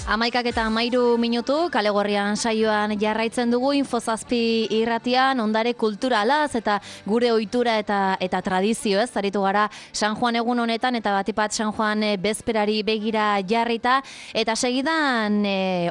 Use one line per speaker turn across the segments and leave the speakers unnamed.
11:13 Kale Gorrian saioan jarraitzen dugu Infozazpi irratian ondare kulturalaz eta gure ohitura eta tradizio, ez? Aritu gara San Juan egun honetan eta batipat San Juan bezperari begira jarrita eta segidan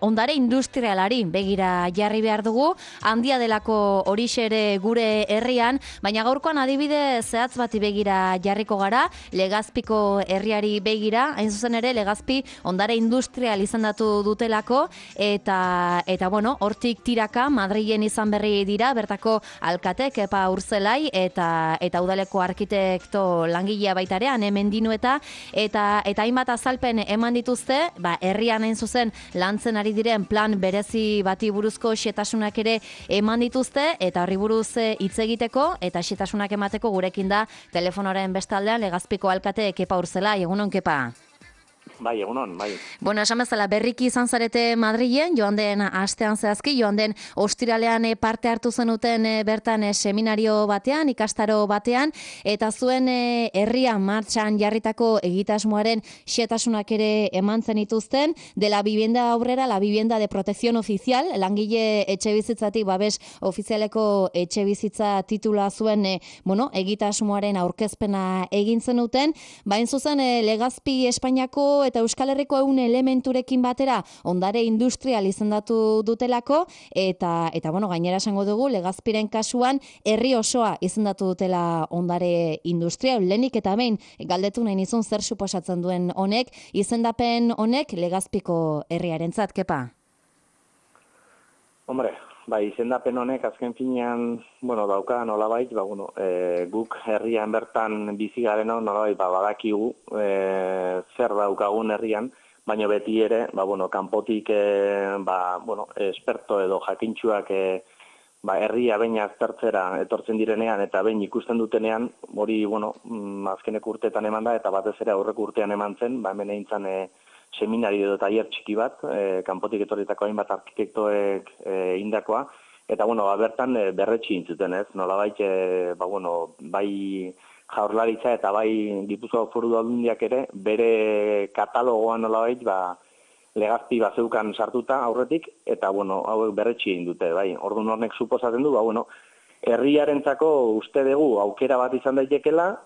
ondare industrialari begira jarri behar dugu, handia delako horixe ere gure herrian, baina gaurkoan adibide zehatz bati begira jarriko gara, Legazpiko herriari begira, hain zuzen ere Legazpi ondare industrial izendatu dutelako eta bueno, hortik tiraka Madrilen izan berri dira bertako alkate Kepa Urzelai eta udaleko arkitekto langilea baita ere hemen dinueta eta hainbat azalpen eman dituzte, herrian hain zuzen lantzen ari diren plan berezi bati buruzko xetasunak ere eman dituzte eta horri buruz hitz egiteko eta xetasunak emateko gurekin da telefonoren bestaldean Legazpiko alkate Kepa Urzelai. Egunon, Kepa?
Bai, egunon, bai.
Bueno, esan bezala, berriki izan zarete Madrilen, joan den astean zehazki, joan den ostiralean parte hartu zenuten bertan seminario batean, ikastaro batean, eta zuen herrian martxan jarritako egitasmoaren xetasunak ere eman zenituzten, de la vivienda obrera, la vivienda de protección oficial, langile etxebizitzatik babes ofizialeko etxebizitza titula zuen egitasmoaren aurkezpena egin zenuten, bain zuzen Legazpi Espainiako eta Euskal Herriko 100 elementurekin batera ondare industrial izendatu dutelako eta gainera esango dugu Legazpiren kasuan herri osoa izendatu dutela ondare industrial. Lehenik eta behin galdetu nahi nizun zer suposatzen duen honek, izendapen honek Legazpiko herriarentzat, Kepa?
Hombre, izendapen honek azken finean, dauka nolabait, guk herrian bertan bizi gareno nolabait badakigu zer daukagun herrian, baina beti ere, kanpotik esperto edo jakintsuak herria behin aztertzera etortzen direnean eta behin ikusten dutenean, hori, azkeneko urteetan eman da eta batez ere aurreko urtean eman zen, hemen egin zen seminario edo tailer txiki bat, kanpotik etorritako hainbat arkitektoek indakoa, eta bertan berretsi intzuten, ez? Nolabait, bai Jaurlaritza eta bai Gipuzkoako Foru Aldundiak ere bere katalogoan nolabait, Legazpi bazeukan sartuta aurretik, eta hauek berretsi egin dute, bai. Orduan hornek suposatzen du, herriarentzako uste dugu aukera bat izan daitekela,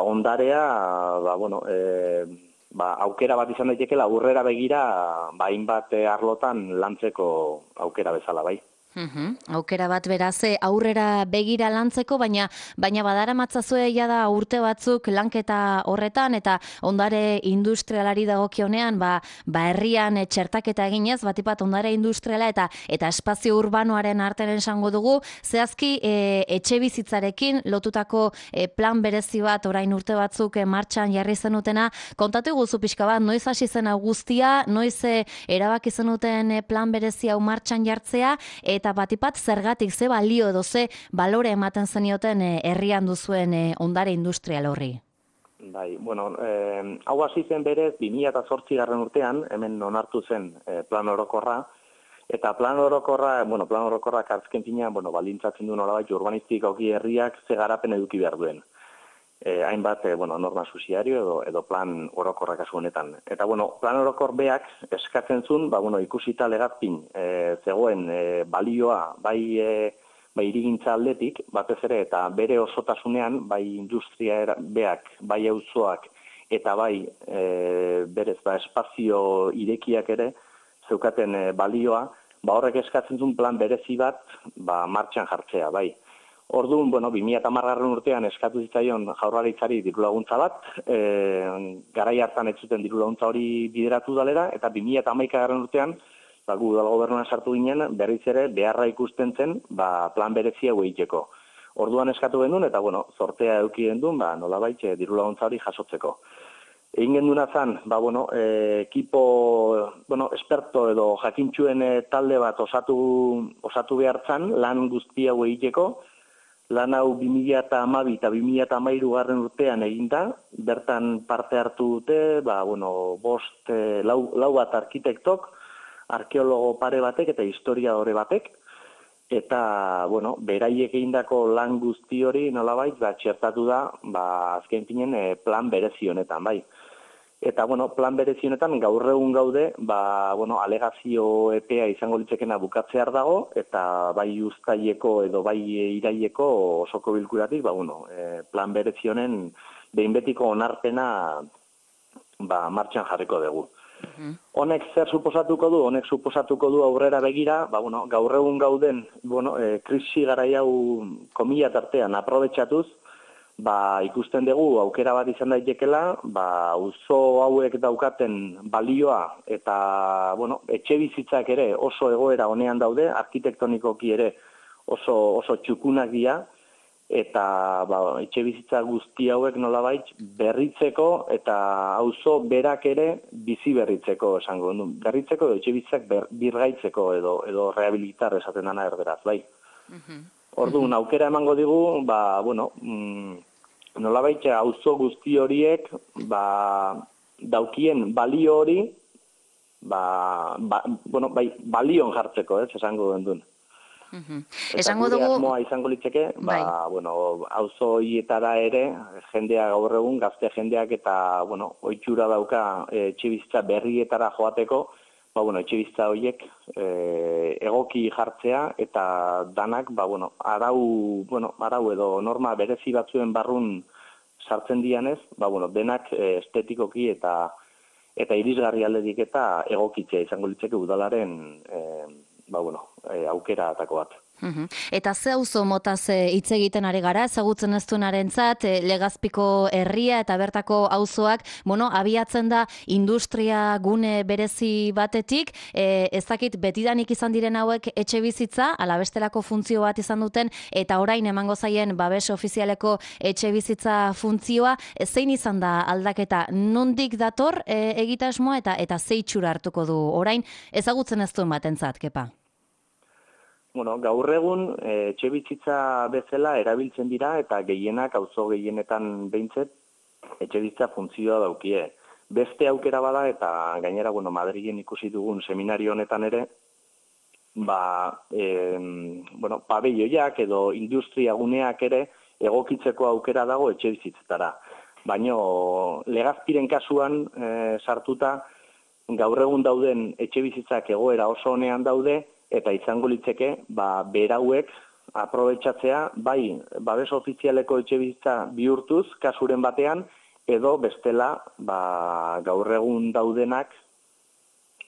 ondarea, aukera bat izan daitekela aurrera begira hainbat arlotan lantzeko aukera bezala, bai.
Aukera bat beraz aurrera begira lantzeko, baina badaramatzazu jada urte batzuk lanketa horretan eta ondare industrialari dagokionean herrian txertaketa eginez, batipat ondare industriala eta espazio urbanoaren artean esango dugu, zehazki etxebizitzarekin lotutako plan berezi bat orain urte batzuk martxan jarri zenutena, kontatu guzu pixka bat, noiz hasi zen guztia, noiz erabaki zenuten plan berezi hau martxan jartzea, eta batipat zergatik ze balio edo ze balore ematen zenioten herrian duzuen ondare industrial horri?
Bai, hau hasi zen berez 2008 urtean, hemen onartu zen plan orokorra, eta plan orokorrak azken finean, baldintzatzen du nolabait urbanistikoki herriak ze garapen eduki behar duen. Hainbat norma subsidiario edo plan orokorra kasu honetan. Eta plan orokor beak eskatzen zuen, ikusita Legazpin zegoen balioa bai hirigintza aldetik, batez ere eta bere osotasunean, bai industria beak, bai auzoak eta bai berez espazio irekiak ere zeukaten balioa, horrek eskatzen zuen plan berezi bat martxan jartzea, bai. Orduan, 2010 urtean eskatu zitzaion Jaurlaritzari dirulaguntza bat, garai hartan ez zuten dirulaguntza hori bideratu dalera, eta 2011 urtean, gu udal gobernuan sartu ginen, berriz ere beharra ikusten zen plan berezia egiteko. Orduan eskatu gendun, eta zortea eduki gendun, nolabait dirulaguntza hori jasotzeko. Egin genduna zen, ekipo, esperto edo jakintxuen talde bat osatu behar zen, lan guztia egiteko. Lan hau 2012 eta 2013 urtean eginda, bertan parte hartu dute, lau bat arkitektok, arkeologo pare batek eta historiadore batek, eta, beraiek egindako lan guzti hori nolabait, txertatu da, azken finen plan berezi honetan, bai. Eta, bueno, plan berezi honetan gaur egun gaude, alegazio epea izango litzekena bukatzear dago, eta bai uztaileko edo bai iraileko osoko bilkuratik, plan berezi honen behin betiko onarpena martxan jarriko dugu. Honek zer suposatuko du? Honek suposatuko du aurrera begira, gaur egun gauden, krisi garai hau komila tartean aprobetxatuz, ikusten dugu aukera bat izan daitekela, auzo hauek daukaten balioa eta, etxe bizitzak ere oso egoera honean daude, arkitektonikoki ere oso txukunak dira, eta etxe bizitza guzti hauek nolabait berritzeko eta auzo berak ere bizi berritzeko esango du. Berritzeko edo etxe bizitzak birgaitzeko edo rehabilitar esaten dana erderaz, bai. Orduan, aukera emango digu, nolabait auzo guzti horiek daukien balio hori balion jartzeko, esango duen. Eta gure asmoa izango litzeke, auzo horietara ere jendea gaur egun, gazte jendeak eta ohitxura dauka etxebizitza berrietara joateko, etxebizitza horiek egoki jartzea eta danak arau edo norma berezi batzuen barrun sartzen dianez, denak estetikoki eta irisgarri aldetik eta egokitzea izango litzeke udalaren aukeratako bat.
Eta ze auzo motaz hitz egiten ari gara, ezagutzen ez duenarentzat, Legazpiko herria eta bertako auzoak, abiatzen da industria gune berezi batetik, ez dakit betidanik izan diren hauek etxe bizitza, ala bestelako funtzio bat izan duten, eta orain emango zaien babes ofizialeko etxe bizitza funtzioa, zein izan da aldaketa, nondik dator egitasmoa eta ze itxura hartuko du orain, ezagutzen ez duen batentzat, Kepa?
Gaur egun etxe bizitza bezala erabiltzen dira eta gehienak, auzo gehienetan behintzet, etxe bizitza funtzioa daukie. Beste aukera bada eta gainera, Madrilen ikusi dugun seminario honetan ere, pabelloiak edo industria guneak ere egokitzeko aukera dago etxe bizitzetara. Baina Legazpiren kasuan sartuta, gaur egun dauden etxe bizitzak egoera oso honean daude, eta izango litzeke, berauek aprobetxatzea, bai, babes ofizialeko etxe bizitza bihurtuz, kasuren batean, edo bestela, gaur egun daudenak,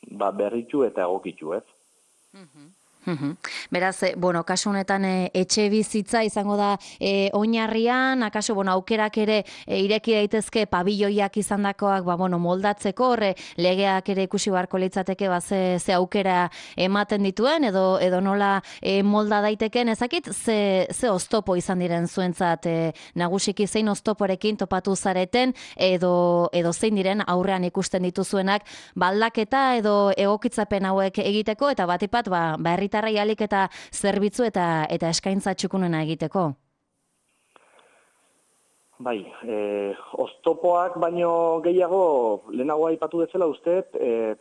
berritu eta egokitu, ez?
Beraz, kasu honetan etxe bizitza izango da oinarrian, akaso, aukerak ere ireki daitezke pabilloiak izandakoak, moldatzeko, horre legeak ere ikusi beharko litzateke, ze aukera ematen dituen, edo nola molda daiteken, ezakit, ze oztopo izan diren zuentzat, nagusiki zein oztoporekin topatu zareten, edo zein diren aurrean ikusten dituzuenak, baldaketa edo egokitzapen hauek egiteko, eta batipat, herritarrei alik eta zerbitzu eta eskaintza txukunena egiteko?
Bai, oztopoak baino gehiago lehenago aipatu bezala uste,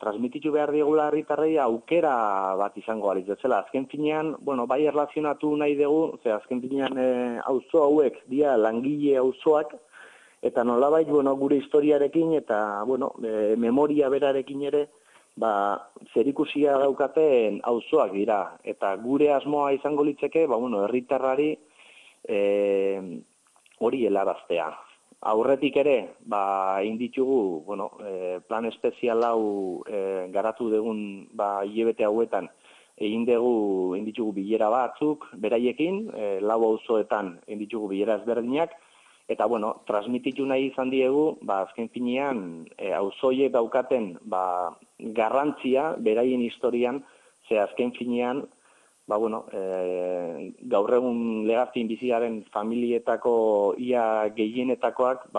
transmititu behar diegula herritarrei aukera bat izango alitz bezala. Azken finean, bai erlazionatu nahi dugu, azken finean auzo hauek dira langile auzoak, eta nolabait gure historiarekin eta memoria berarekin ere, zerikusia daukaten auzoak dira. Eta gure asmoa izango litzeke, herritarrari hori helaraztea. Aurretik ere, inditugu, plan espezial hau garatu dugun hilabete hauetan, inditugu bilera batzuk beraiekin, 4 auzoetan inditugu bilera ezberdinak, eta, transmititu nahi izan diegu, azken finean, auzoiek daukaten garrantzia, beraien historian, azken finean, gaur egun Legazpin bizigaren familietako ia gehienetakoak,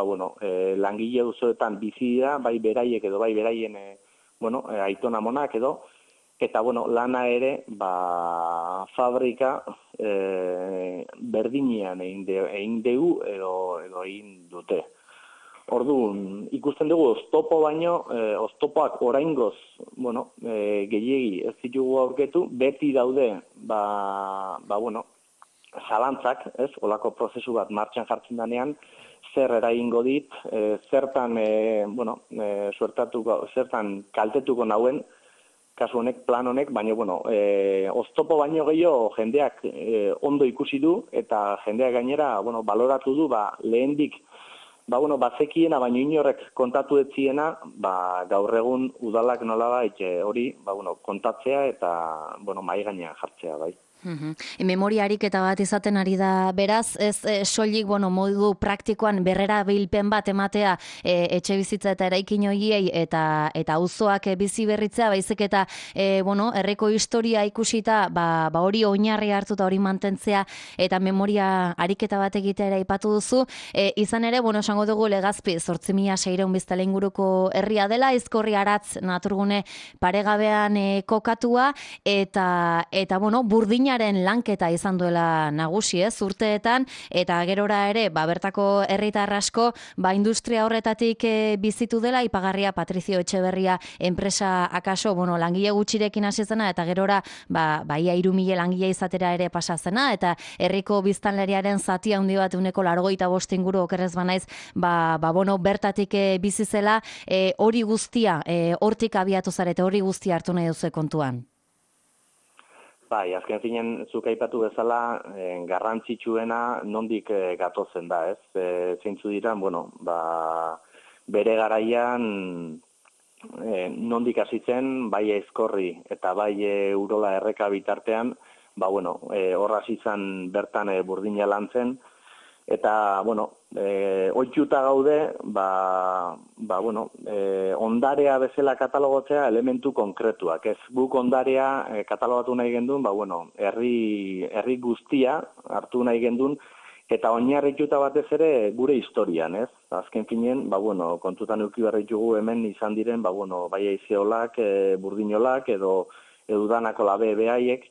langile auzoetan bizi dira, bai beraiek edo bai beraien, aitona monak edo, eta, lana ere, fabrika berdinean egin dugu edo egin dute. Orduan, ikusten dugu oztopo baino, oztopoak oraingoz, gehiegi ez ditugu aurketu, beti daude, zalantzak, ez, olako prozesu bat martxan jartzen danean, zer eragingo dit, zertan, zertan kaltetuko nauen, kasu honek, plan honek, baina, oztopo baino gehiago jendeak ondo ikusi du, eta jendeak gainera, baloratu du, lehendik, bazekiena, baina inorrek kontatu etziena, gaur egun udalak nolabait hori, kontatzea eta, mahai gainean jartzea, bai.
Memoria ariketa bat izaten ari da beraz, ez soilik modu praktikoan berrera bilpen bat ematea etxe bizitza eta eraikin horiei eta auzoak bizi berritzea, baizik eta herriko historia ikusita, hori oinarri hartuta hori mantentzea eta memoria ariketa bat egitea ere aipatu duzu, izan ere, esango dugu Legazpi 8.600 biztanle inguruko herria dela, Aizkorri Aratz naturgune paregabean kokatua eta burdina lanketa izan duela nagusi, urteetan, eta gerora ere, bertako herritar asko, industria horretatik bizitu dela, ipagarria Patrizio Etxeberria enpresa akaso, langile gutxirekin hasi zena, eta gerora, ia 3.000 langile izatera ere pasa zena, eta herriko biztanleriaren zati handi bat 85 inguru okerrez banaiz, bertatik bizi zela, hori guztia, hortik abiatu zarete, hori guztia hartu nahi duzu kontuan.
Bai, azken finen, zuk aipatu bezala, garrantzitsuena nondik gatozen da, ez? Zeintzu diran, bere garaian nondik hasi zen, bai Aizkorri eta bai Urola Erreka bitartean, hor hasi zen bertan burdina lantzen, eta, ohituta gaude, ondarea bezala katalogotzea elementu konkretuak. Ez guk ondarea katalogatu nahi gendun, herri guztia hartu nahi gendun, eta oinarrituta batez ere gure historian, ez? Azken finen, kontutan eduki behar ditugu hemen izan diren, bai aizeolak, burdinolak, edo udanako labe behaiek,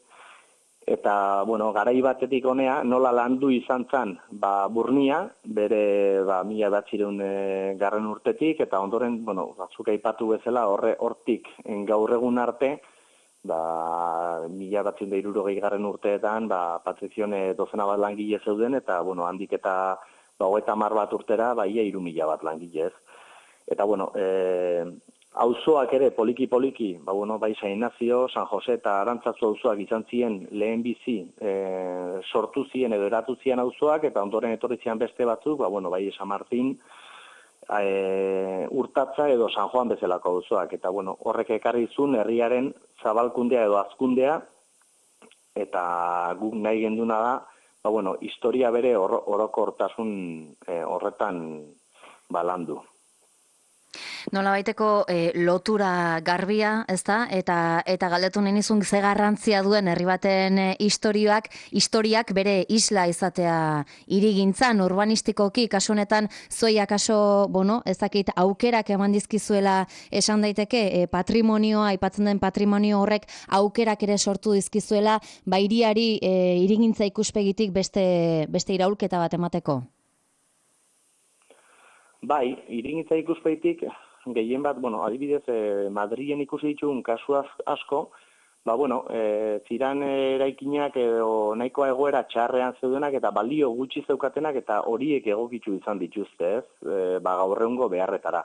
eta, garai batetik honea, nola landu izan zen, Burnia, bere, 1900 garren urtetik, eta ondoren, batzuk aipatu bezala, hortik gaur egun arte, 1960 garren urteetan, Patrizione dozena bat langile zeuden, eta, handik eta 30 bat urtera, ia 3.000 bat langile ez. Eta, auzoak ere poliki-poliki, bai San Ignacio, San Jose eta Arantzazu auzoak izan ziren lehen bizi sortu ziren edo eratu ziren auzoak, eta ondoren etorri ziren beste batzuk, bai San Martin, Urtatza edo San Juan bezalako auzoak, eta horrek ekarri zuen herriaren zabalkundea edo hazkundea, eta guk nahi genduna da, historia bere orokortasun horretan landu.
Nola baiteko lotura garbia, ezta? Eta galdetu nahi nizun ze garrantzia duen herri baten historiak bere isla izatea hirigintzan, urbanistikoki, kasu honetan zoiak kaso, ezakit aukerak eman dizkizuela esan daiteke, patrimonioa, aipatzen den patrimonio horrek aukerak ere sortu dizkizuela, hiriari hirigintza ikuspegitik beste iraulketa bat emateko?
Bai, hirigintza ikuspegitik gehien bat, adibidez, Madrilen ikusi ditugun kasu asko, ziran eraikinak edo nahikoa egoera txarrean zeudenak eta balio gutxi zeukatenak eta horiek egokitu izan dituzte, ez? Gaur egungo beharretara.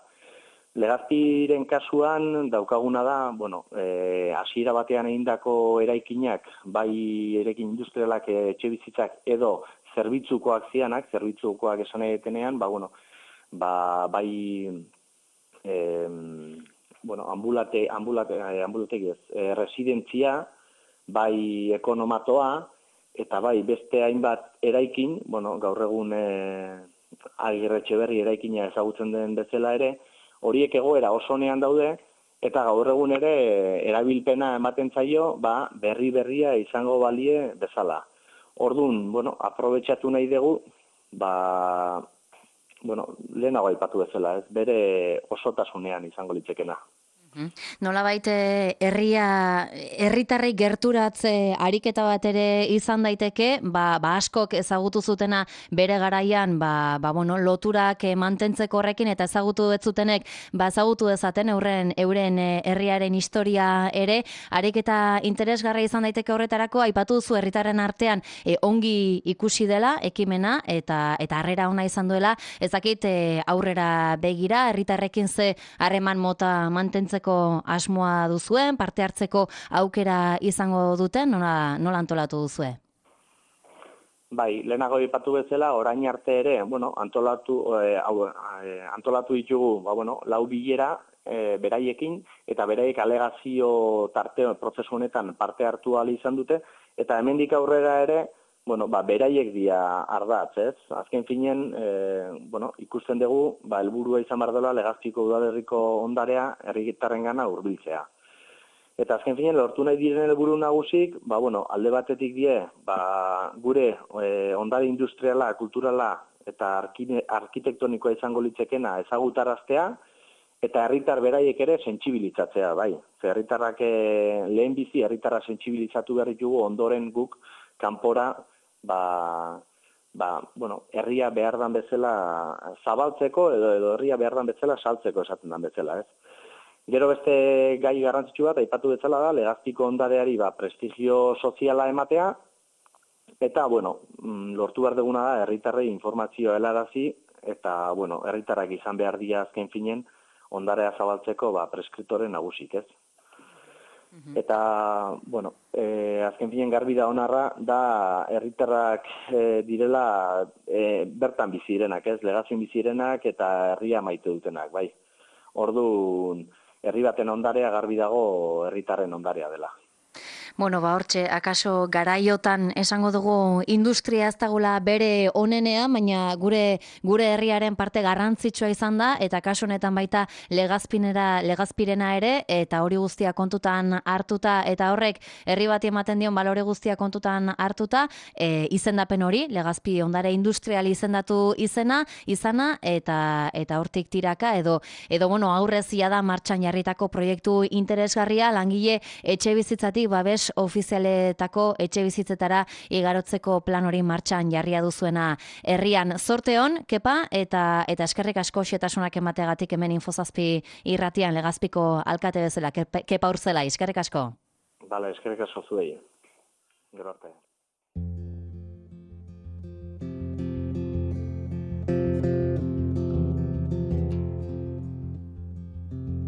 Legazpiren kasuan daukaguna da, hasiera batean egindako eraikinak, bai eraikin industrialak etxe bizitzak edo zerbitzukoak zianak, zerbitzukoak esan edetenean, bai ambulategi ez, residentzia, bai ekonomatoa, eta bai beste hainbat eraikin, gaur egun Agirre Etxeberri eraikina ezagutzen den bezala ere, horiek egoera oso onean daude, eta gaur egun ere erabilpena ematen zaio, berria izango balie bezala. Orduan, aprobetxatu nahi dugu, lehenago aipatu bezala, ez bere osotasunean izango litzekena.
Nolabait herritarrei gerturatze ariketa bat ere izan daiteke, askok ezagutu zutena bere garaian, bueno, loturak mantentzeko horrekin eta ezagutu ez zutenek, ezagutu dezaten euren herriaren historia ere, ariketa interesgarria izan daiteke horretarako, aipatu duzu herritarren artean ongi ikusi dela ekimena eta harrera ona izan duela, ezakit aurrera begira, herritarrekin ze harreman mota mantentzeko asmoa duzuen, parte hartzeko aukera izango duten, nola antolatu duzue?
Bai, lehenago aipatu bezala, orain arte ere, bueno, antolatu ditugu, bueno, 4 bilera beraiekin, eta beraiek alegazio tarte prozesu honetan parte hartu ahal izan dute, eta hemendik aurrera ere, bueno, beraiek dira ardatz, ez? Azken finen, bueno, ikusten dugu, helburua izan behar dela Legazpiko udalerriko ondarea herritarrengana hurbiltzea. Eta azken finen, lortu nahi diren helburu nagusik, bueno, alde batetik die, gure ondare industriala, kulturala eta arkitektonikoa izango litzekena ezagutaraztea, eta herritar beraiek ere sentsibilitzatzea, bai. Herritarrak lehenbizi herritarra sentsibilitzatu behar ditugu ondoren guk kanpora bueno, herria behar dan bezala zabaltzeko edo herria behar dan bezala saltzeko esaten dan bezala, ez? Gero beste gai garrantzitsu bat, aipatu bezala da, Legazpiko ondareari prestigio soziala ematea, eta, bueno, lortu behar duguna da, herritarrei informazioa helarazi, eta, bueno, herritarrak izan behar dira azken finen, ondarea zabaltzeko preskriptore nagusik, ez? Eta, bueno, azken finen garbi da onarra, da herritarrak direla bertan bizirenak, ez? Legazioan bizirenak eta herria maite dutenak, bai. Orduan, herri baten ondarea garbi dago herritarren ondarea dela.
Bueno, hortxe, akaso garaiotan esango dugu industria ez dagula bere onenean, baina gure herriaren parte garrantzitsua izan da, eta kasu honetan baita Legazpirena ere, eta hori guztia kontutan hartuta, eta horrek herri bati ematen dion balore guztia kontutan hartuta, izendapen hori, Legazpi ondare industrial izendatu izana, eta hortik tiraka, edo bueno, aurrez da martxan jarritako proiektu interesgarria, langile etxe bizitzatik babes ofizialetako etxe bizitzetara igarotzeko plan hori martxan jarria duzuena herrian. Zorte hon, Kepa, eta eskerrik asko xetasunak emateagatik hemen Infozazpi irratian Legazpiko alkate bezala, Kepa Urzelai, eskerrik asko.
Bale, eskerrik asko zuei. Gero arte.